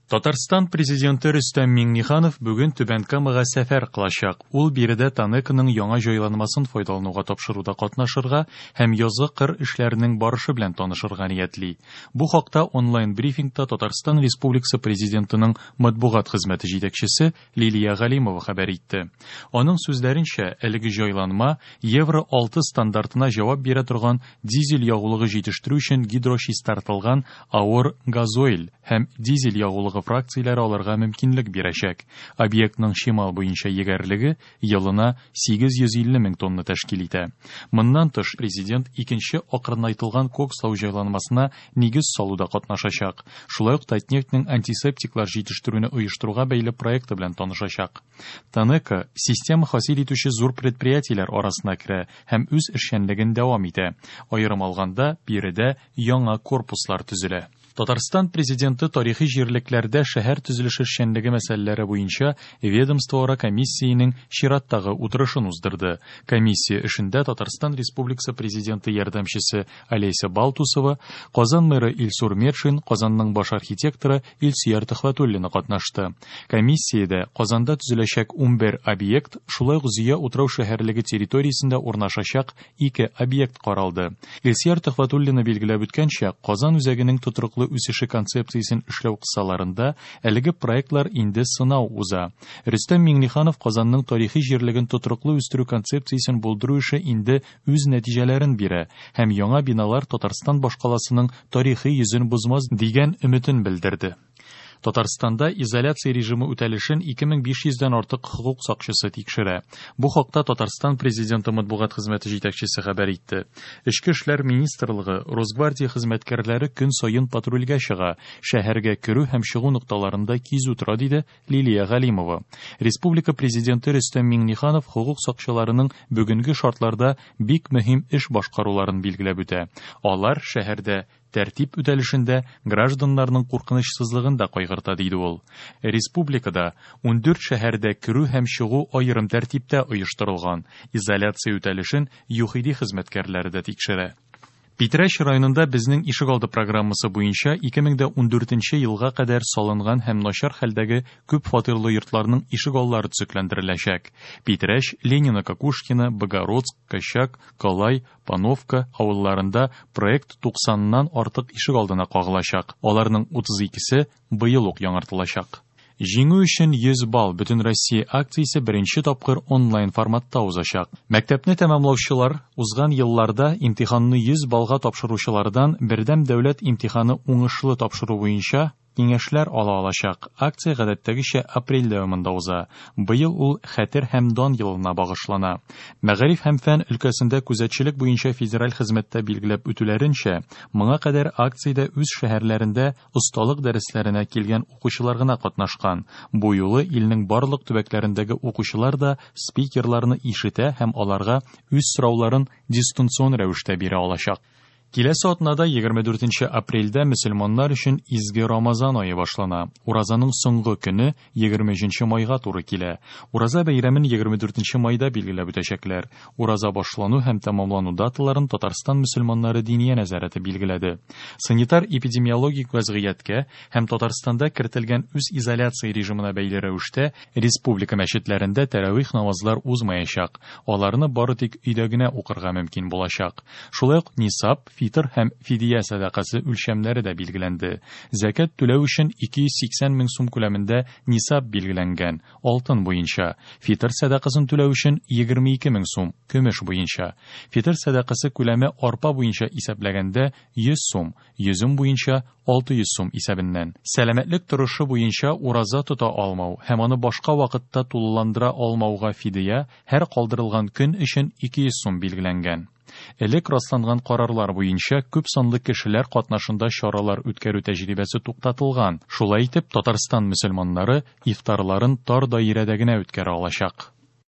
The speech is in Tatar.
Татарстан Президенты Рөстәм Миңнеханов бүген Түбән Камага сәфәр кылачак. Ул биредә ТАНЕКОның яңа җайланмасын файдалануга тапшыруда катнашырга һәм язгы кыр эшләренең барышы белән танышырга ниятли. Бу хакта онлайн-брифингта Татарстан Республикасы Президентының матбугат хезмәте җитәкчесе Лилия Галимова хәбәр итте. Аның сүзләренчә, әлеге җайланма Евро 6 стандартына җавап бирә торган дизель ягулыгы җитештерү өчен гидрочистартылган авыр газойль һәм дизель ягулыгы фракцияләре алырга мөмкинлек бирәчәк. Объектның чимал буенча егәрлеге елына 850 мең тонна тәшкил итә. Моннан тыш, Президент икенче акрынайтылган кокслау җайланмасына нигез салуда катнашачак, шулай ук Татнефтьнең антисептиклар җитештерүне оештыруга бәйле проекты белән танышачак. ТАНЕКО система хасил итүче зур предприятиеләр арасына керә һәм үз эшчәнлеген дәвам итә. Аерым алганда, биредә яңа корпуслар төзелә. Татарстан Президенты тарихи җирлекләрдә шәһәр төзелеше эшчәнлеге мәсьәләләре буенча ведомствоара комиссиянең чираттагы утырышын уздырды. Комиссия эшендә Татарстан Республикасы Президенты ярдәмчесе Олеся Балтусова, Казан мэры Илсур Метшин, Казанның баш архитекторы Илсөяр Төхвәтуллина катнашты. Комиссиядә Казанда төзеләчәк 11 объект, шулай ук Зөя утрау-шәһәрлеге территориясендә урнашачак ике объект каралды. Илсөяр Төхвәтуллина билгеләп үткәнчә, Казан үзәгенең тотрыклы үсеше концепциясен эшләү кысаларында әлеге проектлар инде сынау уза. Рөстәм Миңнеханов Казанның тарихи җирлеген тотрыклы үстерү концепциясен булдыру эше инде үз нәтиҗәләрен бирә һәм яңа биналар Татарстан башкаласының тарихи йөзен бозмас дигән өметен белдерде. Татарстанда изоляция режимы үтәлешен 2500 дән артык хокук сакчысы тикшерә. Бу хакта Татарстан Президенты матбугат хезмәте җитәкчесе хәбәр итте. Эчке эшләр министрлыгы, Росгвардия хезмәткәрләре көн саен патрульгә чыга, шәһәргә керү һәм чыгу нокталарында кизү тора, диде Лилия Галимова. Республика Президенты Рөстәм Миңнеханов хокук сакчыларының бүгенге шартларда бик мөһим эш башкаруларын билгеләп үтә. Алар шәһәрдә тәртип үтәлешендә гражданнарның куркынычсызлыгын да кайгырта, диде ул. Республикада 14 шәһәрдә керү һәм чыгу аерым тәртиптә оештырылган. Изоляция үтәлешен ЮХИДИ хезмәткәрләре дә тикшерә. Питрәч районында Безнең ишегалды программасы буенча 2014 елга кадәр салынган һәм начар хәлдәге күп фатирлы йортларның ишегаллары төзекләндереләчәк. Питрәч, Ленино-Кокушкино, Богородск, Кощак, Калай, Пановка авылларында проект 90 нан артык ишегалдына кагылачак, аларның 32-се быел ук яңартылачак. Җиңү өчен 100 балл Бөтенроссия акциясе беренче тапкыр онлайн форматта узачак. Мәктәпне тәмамлаучылар узган елларда имтиханны 100 баллга тапшыручылардан бердәм дәүләт имтиханы уңышлы тапшыру буенча киңәшләр ала алачак. Акция гадәттәгечә апрель дәвамында уза. Быел ул Хәтер һәм дан елына багышлана. Мәгариф һәм фән өлкәсендә күзәтчелек буенча федераль хезмәттә билгеләп үтүләренчә, моңа кадәр акциядә үз шәһәрләрендә осталык дәресләренә килгән укучылар гына катнашкан. Бу юлы илнең барлык төбәкләрендәге укучылар да спикерларны ишетә һәм аларга үз сорауларын дистанцион рәвештә бирә алачак. Киләсе атнада 24 нче апрельдә мөселманнар өчен изге Рамазан ае башлана. Уразаның соңгы көне 23 нче майга туры килә. Ураза бәйрәмен 24 нче майда билгеләп үтәчәкләр. Ураза башлану һәм тәмамлану даталарын Татарстан мөселманнары Диния нәзарәте билгеләде. Санитар-эпидемиологик вәзгыятькә һәм Татарстанда кертелгән үзизоляция режимына бәйле рәвештә республика мәчетләрендә тәравих намазлар узмаячак, аларны бары тик өйдә генә укырга мөмкин булачак. Шулай ук нисаб, фитыр һәм фидия сәдакасы үлчәмнәре дә билгеләнде. Зәкят түләү өчен 280 мең сум күләмендә нисаб билгеләнгән, алтын буенча, фитыр сәдакасын түләү өчен 22 мең сум, көмеш буенча. Фитыр сәдакасы күләме арпа буенча исәпләгәндә 100 сум, йөзем буенча 600 сум исәбеннән. Сәламәтлек торышы буенча ураза тота алмау һәм аны башка вакытта тулыландыра алмауга фидия һәр калдырылган көн өчен 200 сум билгеләнгән. Элек расланган карарлар буенча күп санлы кешеләр катнашында чаралар үткәрү тәҗрибәсе туктатылган. Шулай итеп, Татарстан мөселманнары ифтарларын тар даирәдә генә үткәрә алачак.